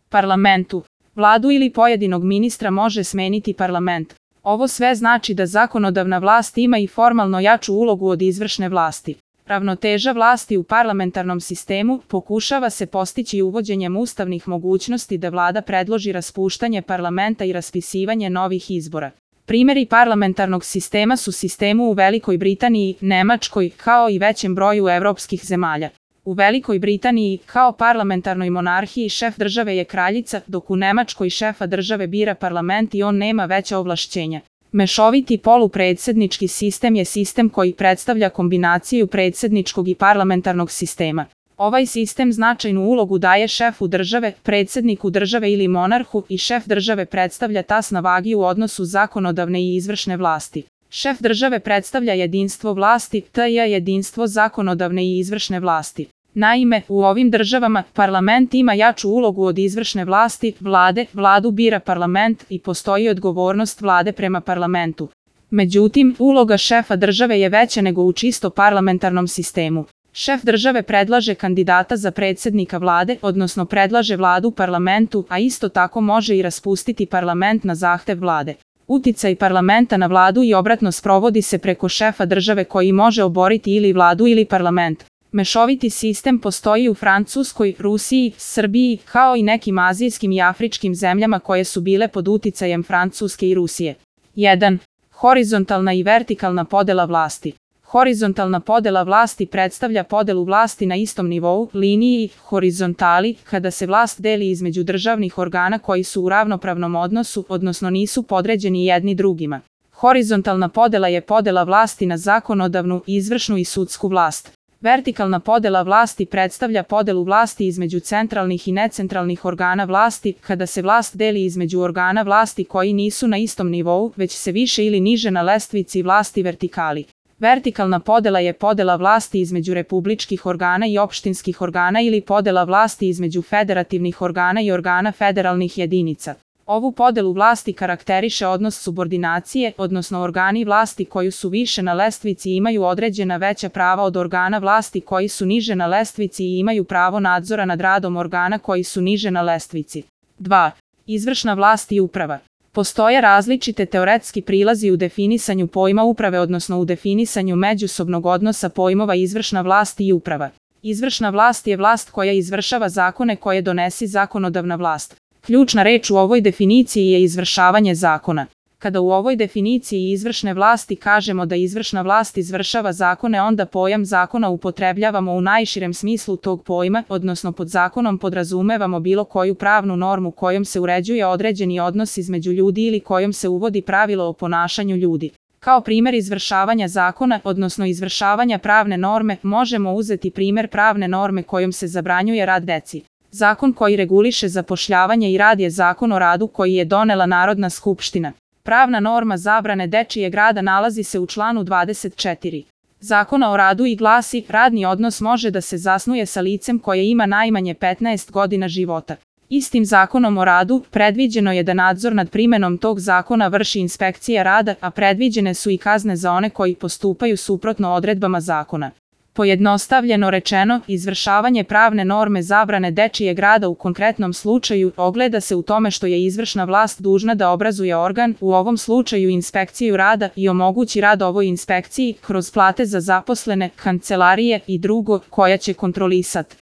parlamentu. Vladu ili pojedinog ministra može smeniti parlament. Ovo sve znači da zakonodavna vlast ima i formalno jaču ulogu od izvršne vlasti. Ravnoteža vlasti u parlamentarnom sistemu pokušava se postići uvođenjem ustavnih mogućnosti da vlada predloži raspuštanje parlamenta i raspisivanje novih izbora. Primjeri parlamentarnog sistema su sistemu u Velikoj Britaniji, Nemačkoj, kao i većem broju evropskih zemalja. U Velikoj Britaniji, kao parlamentarnoj monarhiji, šef države je kraljica, dok u Nemačkoj šefa države bira parlament i on nema veća ovlašćenja. Mešoviti polupredsjednički sistem je sistem koji predstavlja kombinaciju predsjedničkog i parlamentarnog sistema. Ovaj sistem značajnu ulogu daje šefu države, predsjedniku države ili monarhu i šef države predstavlja tas na vagi u odnosu zakonodavne i izvršne vlasti. Šef države predstavlja jedinstvo vlasti, tj. jedinstvo zakonodavne i izvršne vlasti. Naime, u ovim državama parlament ima jaču ulogu od izvršne vlasti, vladu bira parlament i postoji odgovornost vlade prema parlamentu. Međutim, uloga šefa države je veća nego u čisto parlamentarnom sistemu. Šef države predlaže kandidata za predsjednika vlade, odnosno predlaže vladu parlamentu, a isto tako može i raspustiti parlament na zahtev vlade. Uticaj parlamenta na vladu i obratno sprovodi se preko šefa države koji može oboriti ili vladu ili parlament. Mešoviti sistem postoji u Francuskoj, Rusiji, Srbiji, kao i nekim azijskim i afričkim zemljama koje su bile pod uticajem Francuske i Rusije. 1. Horizontalna i vertikalna podela vlasti. Horizontalna podela vlasti predstavlja podelu vlasti na istom nivou, liniji, horizontali, kada se vlast deli između državnih organa koji su u ravnopravnom odnosu, odnosno nisu podređeni jedni drugima. Horizontalna podela je podela vlasti na zakonodavnu, izvršnu i sudsku vlast. Vertikalna podela vlasti predstavlja podelu vlasti između centralnih i necentralnih organa vlasti, kada se vlast deli između organa vlasti koji nisu na istom nivou, već se više ili niže na lestvici vlasti vertikali. Vertikalna podela je podela vlasti između republičkih organa i opštinskih organa ili podela vlasti između federativnih organa i organa federalnih jedinica. Ovu podelu vlasti karakteriše odnos subordinacije, odnosno organi vlasti koji su više na lestvici imaju određena veća prava od organa vlasti koji su niže na lestvici i imaju pravo nadzora nad radom organa koji su niže na lestvici. 2. Izvršna vlast i uprava. Postoje različite teoretski prilazi u definisanju pojma uprave, odnosno u definisanju međusobnog odnosa pojmova izvršna vlast i uprava. Izvršna vlast je vlast koja izvršava zakone koje donesi zakonodavna vlast. Ključna reč u ovoj definiciji je izvršavanje zakona. Kada u ovoj definiciji izvršne vlasti kažemo da izvršna vlast izvršava zakone, onda pojam zakona upotrebljavamo u najširem smislu tog pojma, odnosno pod zakonom podrazumevamo bilo koju pravnu normu kojom se uređuje određeni odnos između ljudi ili kojom se uvodi pravilo o ponašanju ljudi. Kao primjer izvršavanja zakona, odnosno izvršavanja pravne norme, možemo uzeti primjer pravne norme kojom se zabranjuje rad deci. Zakon koji reguliše zapošljavanje i rad je Zakon o radu koji je donela Narodna skupština. Pravna norma zabrane dečijeg rada nalazi se u članu 24. Zakona o radu i glasi: radni odnos može da se zasnuje sa licem koje ima najmanje 15 godina života. Istim Zakonom o radu predviđeno je da nadzor nad primenom tog zakona vrši inspekcija rada, a predviđene su i kazne za one koji postupaju suprotno odredbama zakona. Pojednostavljeno rečeno, izvršavanje pravne norme zabrane dečijeg rada u konkretnom slučaju ogleda se u tome što je izvršna vlast dužna da obrazuje organ, u ovom slučaju inspekciju rada, i omogući rad ovoj inspekciji kroz plate za zaposlene, kancelarije i drugo, koja će kontrolisati